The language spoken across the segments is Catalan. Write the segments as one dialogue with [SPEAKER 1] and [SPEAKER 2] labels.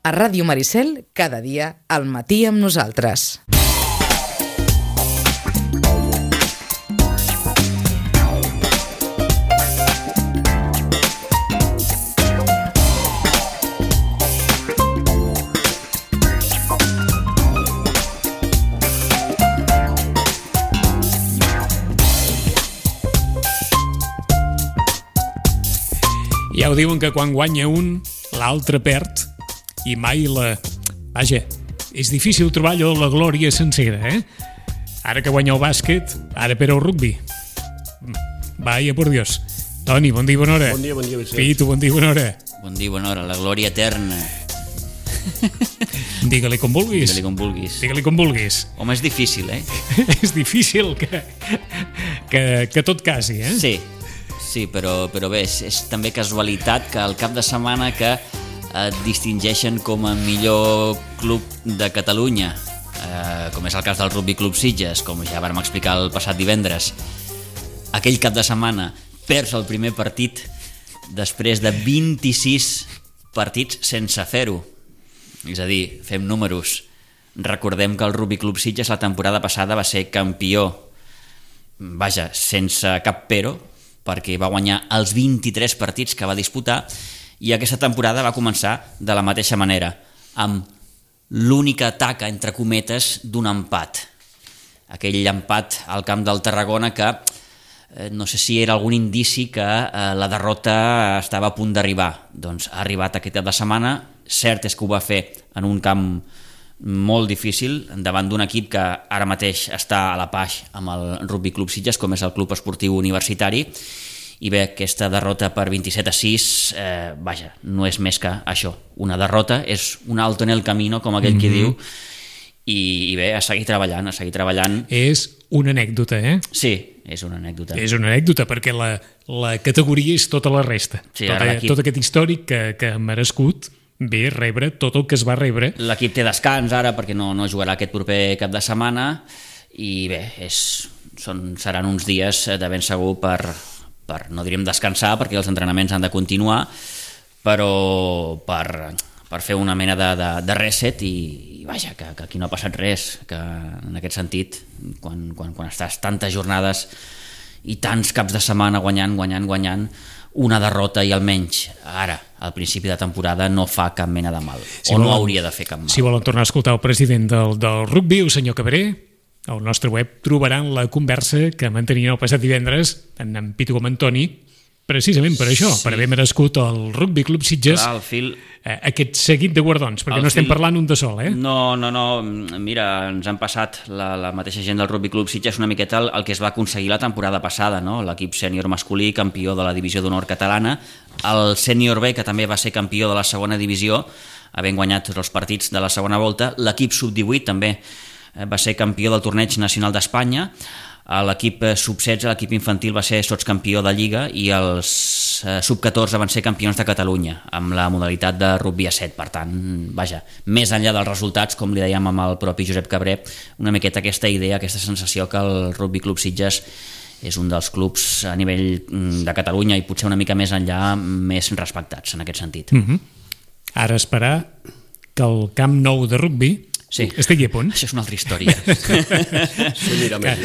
[SPEAKER 1] A Ràdio Maricel, cada dia al matí amb nosaltres.
[SPEAKER 2] Ja ho diuen que quan guanya un, l'altre perd, i mai la... Vaja, és difícil trobar allò la glòria sencera, eh? Ara que guanya el bàsquet, ara per al rugbi. Vaya, por Dios. Toni, bon dia, bona hora.
[SPEAKER 3] Bon dia, Vicent.
[SPEAKER 2] Pitu, bon dia, bona hora.
[SPEAKER 4] Bon dia, bona hora, la glòria eterna.
[SPEAKER 2] Digue-li com vulguis.
[SPEAKER 4] Digue-li com vulguis.
[SPEAKER 2] Digue-li com vulguis.
[SPEAKER 4] Home, és difícil, eh?
[SPEAKER 2] És difícil que tot casi, eh?
[SPEAKER 4] Sí, però bé, és també casualitat que al cap de setmana que et distingeixen com a millor club de Catalunya, com és el cas del Rugby Club Sitges, com ja vam explicar el passat divendres, aquell cap de setmana perds el primer partit després de 26 partits sense fer-ho. És a dir, fem números. Recordem que el Rugby Club Sitges la temporada passada va ser campió, vaja, sense cap però, perquè va guanyar els 23 partits que va disputar, i aquesta temporada va començar de la mateixa manera, amb l'única taca, entre cometes, d'un empat. Aquell empat al camp del Tarragona que no sé si era algun indici que la derrota estava a punt d'arribar. Doncs ha arribat aquest cap de setmana, cert és que ho va fer en un camp molt difícil, davant d'un equip que ara mateix està a la paix amb el Rugby Club Sitges, com és el Club Esportiu Universitari, i bé, aquesta derrota per 27-6, vaja, no és més que això, una derrota, és un alto en el camino, com aquell qui diu, i bé, a seguir treballant,
[SPEAKER 2] És una anècdota, eh?
[SPEAKER 4] Sí, és una anècdota.
[SPEAKER 2] És una anècdota, perquè la categoria és tota la resta.
[SPEAKER 4] Sí,
[SPEAKER 2] tot aquest històric que ha merescut bé rebre tot el que es va rebre.
[SPEAKER 4] L'equip té descans ara perquè no jugarà aquest proper cap de setmana, i bé, seran uns dies de ben segur per no diríem descansar, perquè els entrenaments han de continuar, però per fer una mena de reset, i vaja, que aquí no ha passat res, que en aquest sentit, quan estàs tantes jornades i tants caps de setmana guanyant, una derrota, i almenys ara, al principi de temporada, no fa cap mena de mal, no hauria de fer cap mal.
[SPEAKER 2] Si volen tornar a escoltar el president del rugby, el senyor Cabré, al nostre web trobaran la conversa que mantenien el passat divendres en Pitu com en Toni, precisament per això, per haver merescut el Rugby Club Sitges aquest seguit de guardons, perquè no estem parlant un de sol, eh?
[SPEAKER 4] No, mira, ens han passat la mateixa gent del Rugby Club Sitges una miqueta el que es va aconseguir la temporada passada, no? L'equip sènior masculí, campió de la divisió d'honor catalana, el sènior B, que també va ser campió de la segona divisió, havent guanyat tots els partits de la segona volta, l'equip sub-18 també va ser campió del torneig nacional d'Espanya, l'equip sub-16, l'equip infantil va ser sotscampió de Lliga, i els sub-14 van ser campions de Catalunya amb la modalitat de rugby a 7. Per tant, vaja, més enllà dels resultats, com li dèiem amb el propi Josep Cabré, una miqueta aquesta idea, aquesta sensació que el Rugby Club Sitges és un dels clubs a nivell de Catalunya, i potser una mica més enllà, més respectats en aquest sentit.
[SPEAKER 2] Ara esperar que el Camp Nou de rugby estigui a punt.
[SPEAKER 4] Això és una altra història.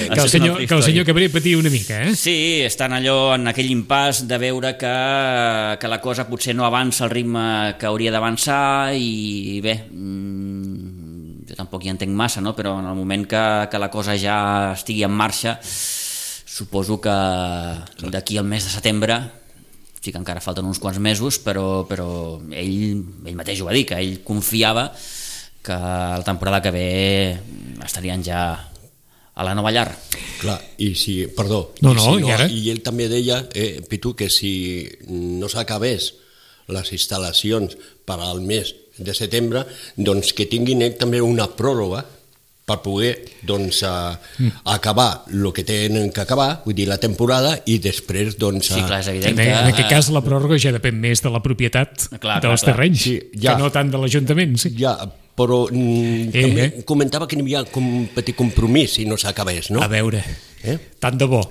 [SPEAKER 2] Que el senyor Cabré patia una mica, eh?
[SPEAKER 4] Sí, estan allò en aquell impàs de veure que la cosa potser no avança al ritme que hauria d'avançar, i bé, jo tampoc hi entenc massa, no? Però en el moment que la cosa ja estigui en marxa, suposo que d'aquí al mes de setembre, sí que encara falten uns quants mesos, però ell mateix ho va dir, que ell confiava que la temporada que ve estarien ja a la nova llar.
[SPEAKER 3] Clar, i si, perdó, i ell també deia, Pitu, que si no s'acabés les instal·lacions per al mes de setembre, doncs que tinguin també una pròrroga per poder acabar el que tenen que acabar, vull dir, la temporada, i després
[SPEAKER 4] Sí, clar, és evident que...
[SPEAKER 2] En aquest cas la pròrroga ja depèn més de la propietat dels terrenys, que no tant de l'Ajuntament.
[SPEAKER 3] Ja, però també comentava que n'hi havia un petit compromís si no s'acabés, no?
[SPEAKER 2] A veure, tant de bo.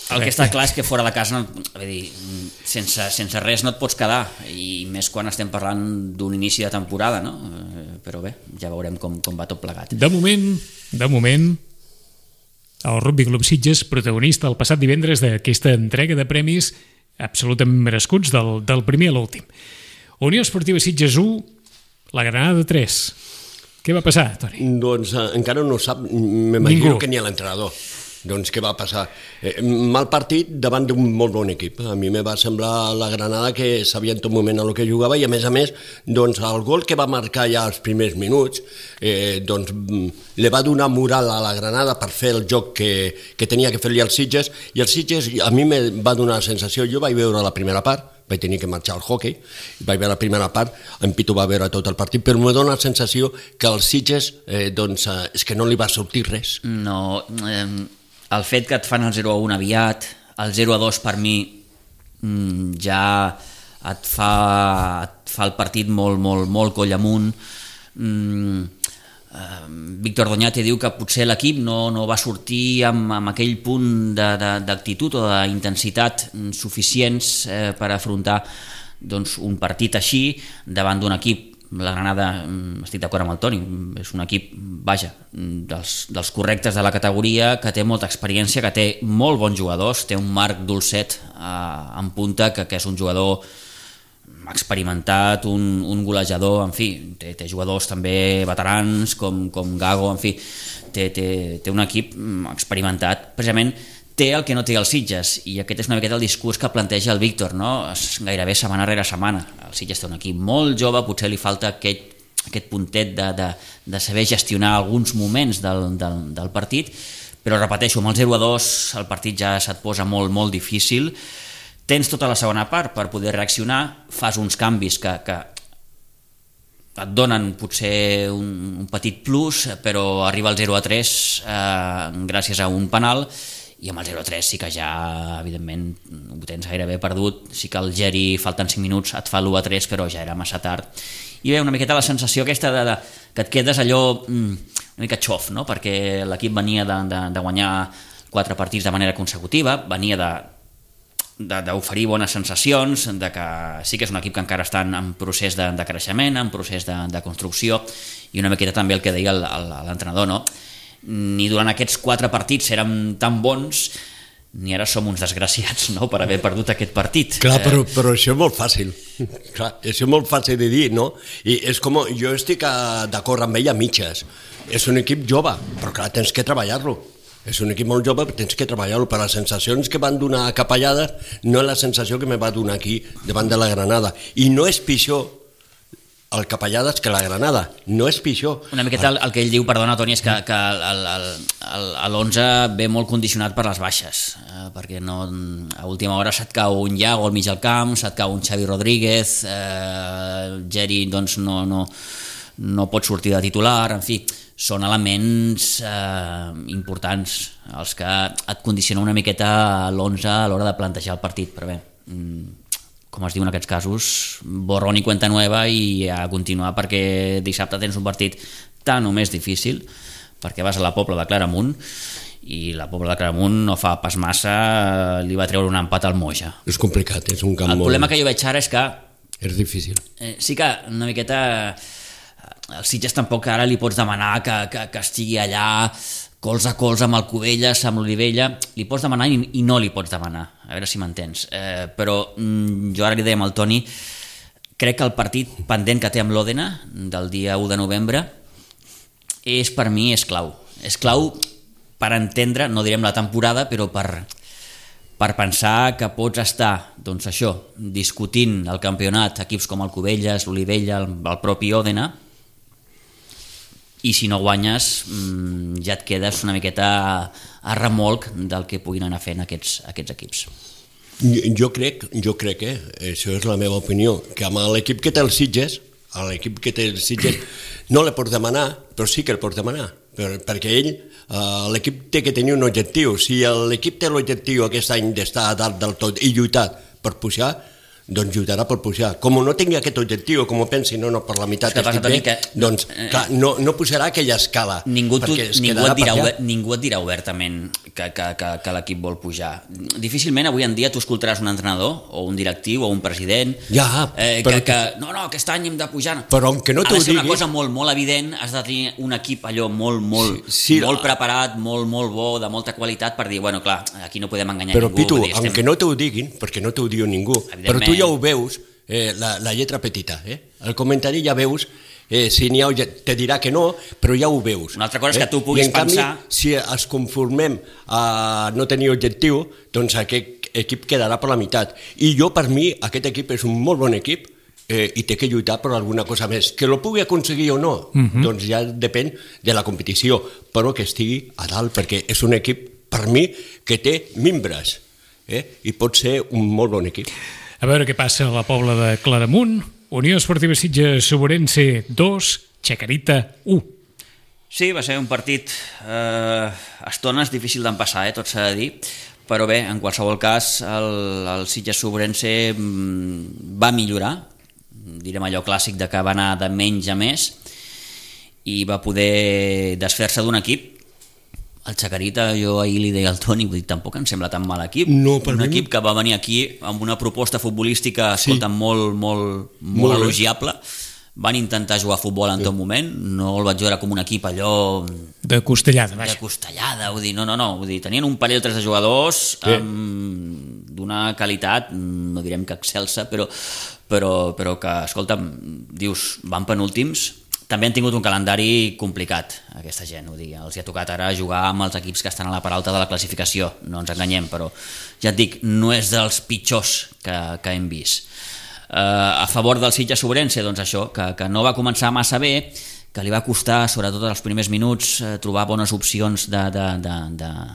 [SPEAKER 4] El que està clar és que fora de casa, sense res no et pots quedar, i més quan estem parlant d'un inici de temporada, no? Però bé, ja veurem com va tot plegat.
[SPEAKER 2] De moment, el Rugby Club Sitges, protagonista el passat divendres d'aquesta entrega de premis absolutament merescuts del primer a l'últim. Unió Esportiva Sitges 1, la Granada 3. Què va passar, Toni?
[SPEAKER 3] Doncs encara no ho sap, m'imagino que ni l'entrenador. Doncs què va passar? Mal partit davant d'un molt bon equip. A mi me va semblar la Granada que sabia en tot moment el que jugava, i a més, doncs el gol que va marcar ja als primers minuts doncs li va donar moral a la Granada per fer el joc que tenia que fer-li als Sitges, i els Sitges a mi me va donar la sensació, jo vaig veure la primera part, vaig tenir que marxar al hockey, vaig veure la primera part, en Pitu va veure tot el partit, però me dona la sensació que als Sitges doncs és que no li va sortir res.
[SPEAKER 4] No, el fet que et fan el 0-1 aviat, el 0-2 per mi ja et fa el partit molt coll amunt. Víctor Doñate diu que potser l'equip no va sortir amb aquell punt d'actitud o d'intensitat suficients per afrontar doncs, un partit així davant d'un equip. La Granada, estic d'acord amb el Toni, és un equip, vaja, dels correctes de la categoria, que té molta experiència, que té molt bons jugadors, té un Marc Dolcet en punta, que és un jugador experimentat, un golejador, en fi, té jugadors també veterans com Gago, en fi, té un equip experimentat. Precisament té el que no té els Sitges, i aquest és una miqueta el discurs que planteja el Víctor, no? Gairebé setmana rere setmana. El Sitges té un equip molt jove, potser li falta aquest puntet de saber gestionar alguns moments del partit, però repeteixo, amb el 0-2 el partit ja se't posa molt difícil. Tens tota la segona part per poder reaccionar, fas uns canvis que et donen potser un petit plus, però arriba el 0-3 gràcies a un penal, i amb el 0-3 sí que ja, evidentment, ho tens gairebé perdut. Sí que el Geri, falten 5 minuts, et fa l'1-3, però ja era massa tard. I bé, una miqueta la sensació aquesta que et quedes allò una mica xof, no? Perquè l'equip venia de guanyar 4 partits de manera consecutiva, venia d'oferir bones sensacions, de que sí que és un equip que encara està en procés de creixement, en procés de construcció, i una miqueta també el que deia l'entrenador, no? Ni durant aquests 4 partits érem tan bons, ni ara som uns desgraciats, no?, per haver perdut aquest partit.
[SPEAKER 3] Clar, però això és molt fàcil. Clar, això és molt fàcil de dir, no? I és com, jo estic d'acord amb ell a mitges. És un equip jove, però clar, tens que treballar-lo. És un equip molt jove, però tens que treballar-lo. Per les sensacions que van donar a Capellades no és la sensació que me va donar aquí davant de la Granada. I no és pitjor el Capellades que la Granada, no és pitjor.
[SPEAKER 4] Una miqueta el que ell diu, perdona Toni, és que l'11 ve molt condicionat per les baixes, perquè no, a última hora se't cau un Iago al mig del camp, se't cau un Xavi Rodríguez, Geri doncs no pot sortir de titular, en fi, són elements importants els que et condicionen una miqueta l'11 a l'hora de plantejar el partit, però bé, com es diu en aquests casos, borrón i cuenta nueva, i a continuar, perquè dissabte tens un partit tan o més difícil, perquè vas a la Pobla de Claramunt, i la Pobla de Claramunt no fa pas massa li va treure un empat al Moja.
[SPEAKER 3] És complicat, és un camp
[SPEAKER 4] molt... El problema que jo veig ara és que...
[SPEAKER 3] És difícil.
[SPEAKER 4] Sí que una miqueta... El Sitges tampoc ara li pots demanar que estigui allà colze a colze amb el Cubelles, amb l'Olivella, li pots demanar i no li pots demanar, a veure si m'entens, però jo ara li deia al Toni, crec que el partit pendent que té amb l'Òdena del dia 1 de novembre per mi és clau per entendre, no direm la temporada, però per pensar que pots estar, doncs això, discutint el campionat, equips com el Cubelles, l'Olivella, el propi Òdena, i si no guanyes ja et quedes una miqueta a remolc del que puguin anar fent aquests equips.
[SPEAKER 3] Jo crec, això és la meva opinió, que amb l'equip que té els Sitges, no li pots demanar, però sí que el pots demanar, perquè l'equip té que tenir un objectiu. Si l'equip té l'objectiu aquest any d'estar a dalt del tot i lluitar per pujar, doncs lluitarà per pujar. Com no tingui aquest objectiu, com pensi, no, per la meitat estic bé, doncs clar, no pujarà aquella escala.
[SPEAKER 4] Ningú et dirà obertament que l'equip vol pujar. Difícilment avui en dia tu escoltaràs un entrenador o un directiu o un president que no, aquest any hem de pujar.
[SPEAKER 3] Però aunque no t'ho digui...
[SPEAKER 4] Ha de ser una cosa molt, molt evident, has de tenir un equip allò molt preparat, molt bo, de molta qualitat per dir, bueno, clar, aquí no podem enganyar
[SPEAKER 3] ningú. Però Pitu,
[SPEAKER 4] aunque
[SPEAKER 3] no t'ho diguin, perquè no t'ho diu ningú, però tu ja ho veus, la lletra petita, el comentari ja veus, si n'hi ha, te dirà que no, però ja ho veus.
[SPEAKER 4] Una altra cosa és que tu puguis pensar...
[SPEAKER 3] I en canvi, si ens conformem a no tenir objectiu, doncs aquest equip quedarà per la meitat. I jo, per mi, aquest equip és un molt bon equip i té que lluitar per alguna cosa més. Que lo pugui aconseguir o no, doncs ja depèn de la competició, però que estigui a dalt, perquè és un equip, per mi, que té mimbres, i pot ser un molt bon equip.
[SPEAKER 2] A veure què passa a la Pobla de Claramunt. Unió Esportiva Sitges Sobrense 2, Chacarita 1.
[SPEAKER 4] Sí, va ser un partit a estones difícil d'empassar, tot s'ha de dir, però bé, en qualsevol cas el Sitges Sobrense va millorar, direm allò clàssic de que va anar de menys a més i va poder desfer-se d'un equip. El Chacarita, jo ahir li deia al Toni, vull dir, tampoc em sembla tan mal equip.
[SPEAKER 3] No,
[SPEAKER 4] un equip que va venir aquí amb una proposta futbolística, escolta, molt elogiable. Van intentar jugar a futbol en tot moment, no el vaig veure com un equip allò...
[SPEAKER 2] De costellada, vaja.
[SPEAKER 4] De costellada, vull dir, no, vull dir, tenien un parell o tres de jugadors d'una qualitat, no direm que excelsa, però que, escolta'm, dius, van penúltims. També han tingut un calendari complicat, aquesta gent, vull dir, els hi ha tocat ara jugar amb els equips que estan a la part alta de la classificació, no ens enganyem, però ja et dic, no és dels pitjors que hem vist. A favor del Sitges Sobrense, doncs això, que no va començar massa bé, que li va costar, sobretot els primers minuts, trobar bones opcions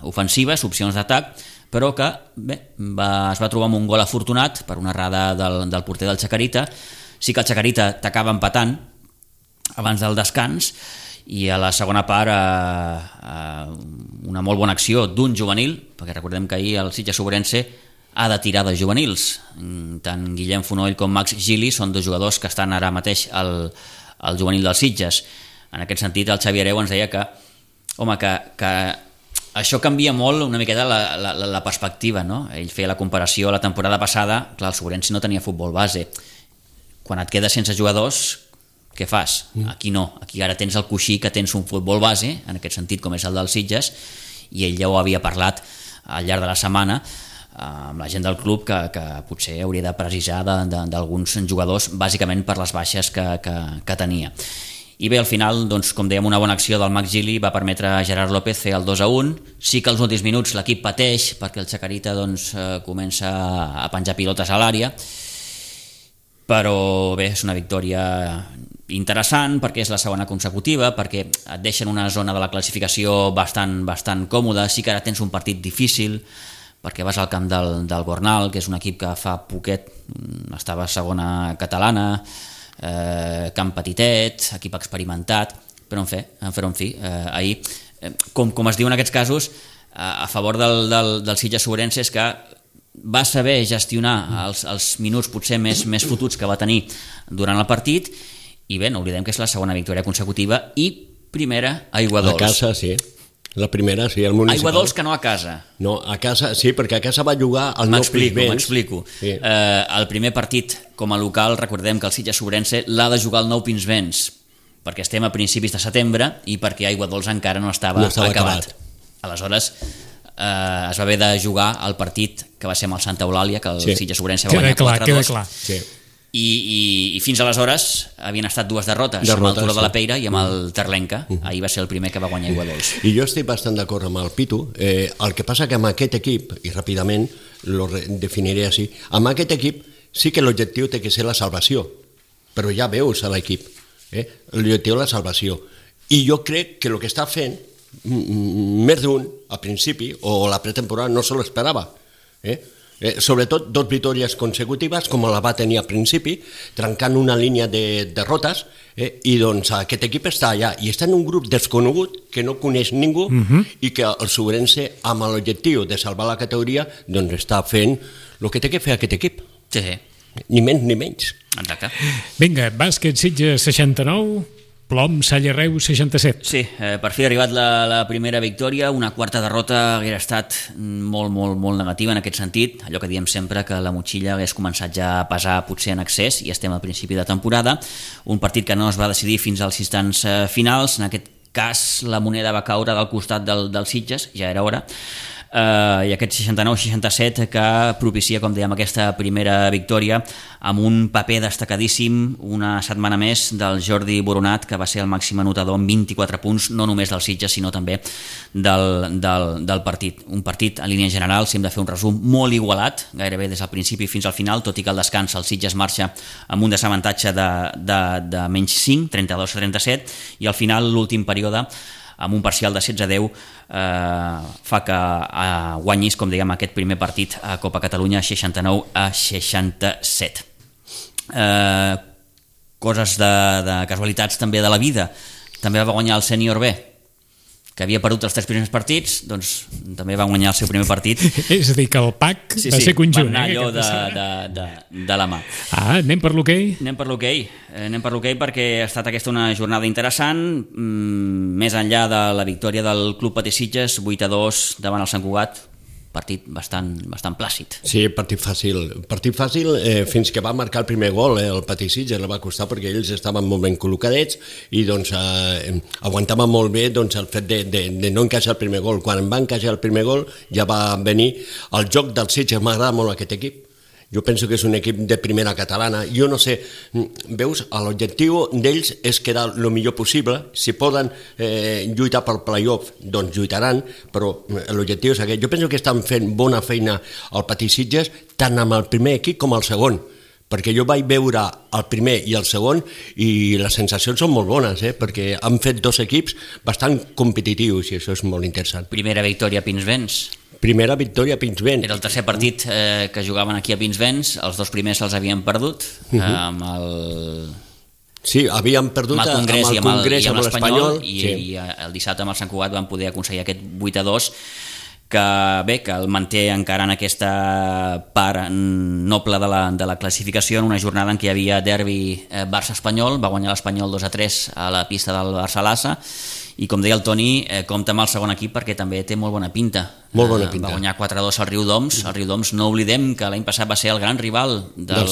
[SPEAKER 4] ofensives, opcions d'atac, però que bé, es va trobar amb un gol afortunat per una errada del porter del Chacarita. Sí que el Chacarita t'acaba empatant abans del descans i a la segona part una molt bona acció d'un juvenil, perquè recordem que ahir el Sitges Sobrense ha de tirar de juvenils, tant Guillem Fonoll com Max Gili són dos jugadors que estan ara mateix al juvenil dels Sitges. En aquest sentit el Xavi Hereu ens deia que això canvia molt una miqueta la perspectiva, no? Ell feia la comparació la temporada passada, clar, el Sobrense no tenia futbol base, quan et quedes sense jugadors què fas? Aquí no, aquí ara tens el coixí que tens un futbol base, en aquest sentit com és el dels Sitges, i ell ja ho havia parlat al llarg de la setmana amb la gent del club que potser hauria de precisar d'alguns jugadors, bàsicament per les baixes que tenia. I bé, al final, doncs, com dèiem, una bona acció del Max Gili va permetre a Gerard López fer el 2-1. Sí que als últims minuts l'equip pateix perquè el Chacarita comença a penjar pilotes a l'àrea, però bé, és una victòria interessant perquè és la segona consecutiva, perquè et deixen una zona de la classificació bastant còmoda. Sí que ara tens un partit difícil perquè vas al camp del Gornal, que és un equip que fa poquet estava a segona catalana, camp petitet, equip experimentat, però en fi, ahir, com es diu en aquests casos, a favor del Sitges Sobrense és que va saber gestionar els minuts potser més fotuts que va tenir durant el partit, i bé, no oblidem que és la segona victòria consecutiva i primera a Aiguadols.
[SPEAKER 3] A casa, sí. La primera, sí, el municipal.
[SPEAKER 4] Aiguadols que no a casa.
[SPEAKER 3] No, a casa, sí, perquè a casa va jugar al Nou Pinsbens.
[SPEAKER 4] M'explico. Sí. El primer partit com a local, recordem que el Sitges Sobrense l'ha de jugar al Nou Pinsbens, perquè estem a principis de setembre i perquè Aiguadols encara no estava acabat. Aleshores, es va haver de jugar el partit que va ser amb el Santa Eulàlia, que el Sitges Sobrense va guanyar 4-2.
[SPEAKER 2] Queda clar.
[SPEAKER 3] Sí.
[SPEAKER 4] I fins aleshores havien estat dues derrotes amb el Turó de la Peira i amb el Terlenca. Ahir va ser el primer que va guanyar Aiguadols.
[SPEAKER 3] I jo estic bastant d'acord amb el Pitu. El que passa que amb aquest equip, i ràpidament lo definiré així, amb aquest equip sí que l'objectiu té que ser la salvació, però ja veus a l'equip, l'objectiu és la salvació. I jo crec que el que està fent més d'un al principi o la pretemporada no se l'esperava, sobretot 2 victòries consecutives com la va tenir al principi, trencant una línia de derrotes, i doncs aquest equip està allà i està en un grup desconegut que no coneix ningú i que el Sobrense, amb l'objectiu de salvar la categoria, doncs està fent el que té que fer aquest equip.
[SPEAKER 4] Sí,
[SPEAKER 3] ni menys ni menys.
[SPEAKER 4] Exacte.
[SPEAKER 2] Vinga, bàsquet Sitges 69, Plom Salle Reus 67.
[SPEAKER 4] Sí, per fi ha arribat la primera victòria. Una quarta derrota hauria estat molt negativa en aquest sentit. Allò que diem sempre, que la motxilla hagués començat ja a pesar potser en excés, i estem al principi de temporada. Un partit que no es va decidir fins als instants finals. En aquest cas la moneda va caure del costat del Sitges, ja era hora, i aquest 69-67 que propicia, com dèiem, aquesta primera victòria amb un paper destacadíssim una setmana més del Jordi Boronat, que va ser el màxim anotador amb 24 punts, no només del Sitges sinó també del partit. Un partit en línia general, si hem de fer un resum, molt igualat, gairebé des del principi fins al final, tot i que al descans el Sitges marxa amb un desavantatge de menys 5, 32-37, i al final l'últim període amb un parcial de 16-10 fa que guanyis, com dèiem, aquest primer partit a Copa Catalunya 69-67. Coses de casualitats també de la vida. També va guanyar el sènior B, que havia perdut els 3 primers partits, doncs també va guanyar el seu primer partit.
[SPEAKER 2] És a dir, que el pack va ser conjunt.
[SPEAKER 4] Va anar allò de la mà.
[SPEAKER 2] Anem per l'hoquei?
[SPEAKER 4] Anem per l'hoquei perquè ha estat aquesta una jornada interessant, més enllà de la victòria del Club Patí Sitges, 8-2 davant el Sant Cugat. Partit bastant plàcid.
[SPEAKER 3] Sí, partit fàcil fins que va marcar el primer gol. El Patí Sitges el va costar perquè ells estaven molt ben col·locadets i doncs aguantaven molt bé doncs, el fet de no encaixar el primer gol. Quan va encaixar el primer gol ja va venir el joc del Sitges. M'agrada molt aquest equip. Jo penso que és un equip de primera catalana. Jo no sé, veus, l'objectiu d'ells és quedar el millor possible. Si poden lluitar pel playoff, doncs lluitaran, però l'objectiu és aquest. Jo penso que estan fent bona feina al Patí Sitges, tant amb el primer equip com el segon, perquè jo vaig veure el primer i el segon i les sensacions són molt bones, perquè han fet 2 equips bastant competitius i això és molt interessant.
[SPEAKER 4] Primera victòria a Pinsbens.
[SPEAKER 3] Primera victòria a Pinsbens.
[SPEAKER 4] Era el tercer partit que jugaven aquí a Pinsbens, els 2 primers se'ls havien perdut, amb el...
[SPEAKER 3] Sí, havien perdut amb el Congrés, amb l'Espanyol,
[SPEAKER 4] i el dissabte amb el Sant Cugat van poder aconseguir aquest 8-2, que el manté encara en aquesta part noble de la classificació, en una jornada en què hi havia derbi Barça-Espanyol. Va guanyar l'Espanyol 2-3 a la pista del Barça-Lassa, i com deia el Toni, compta amb el segon equip perquè també té molt bona pinta.
[SPEAKER 3] Molt bona pinta.
[SPEAKER 4] Va guanyar 4-2 al Riudoms. El Riudoms, no oblidem que l'any passat va ser el gran rival del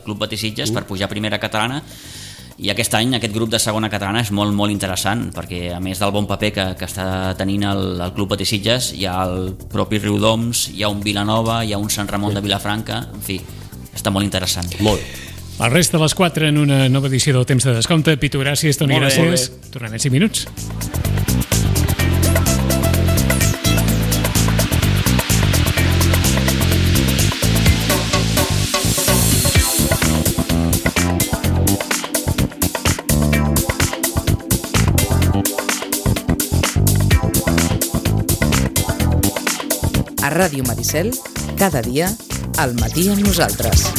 [SPEAKER 4] Club Patí Sitges per pujar a primera catalana, i aquest any aquest grup de segona catalana és molt interessant, perquè a més del bon paper que està tenint el Club Patí Sitges, hi ha el propi Riudoms, hi ha un Vilanova, hi ha un Sant Ramon de Vilafranca, en fi, està molt interessant.
[SPEAKER 3] Molt.
[SPEAKER 2] El rest de les 4 en una nova edició del Temps de Descompte. Pitu, gràcies, Toni, gràcies. Tornem en 5 minuts.
[SPEAKER 1] A Ràdio Maricel, cada dia, al matí amb nosaltres.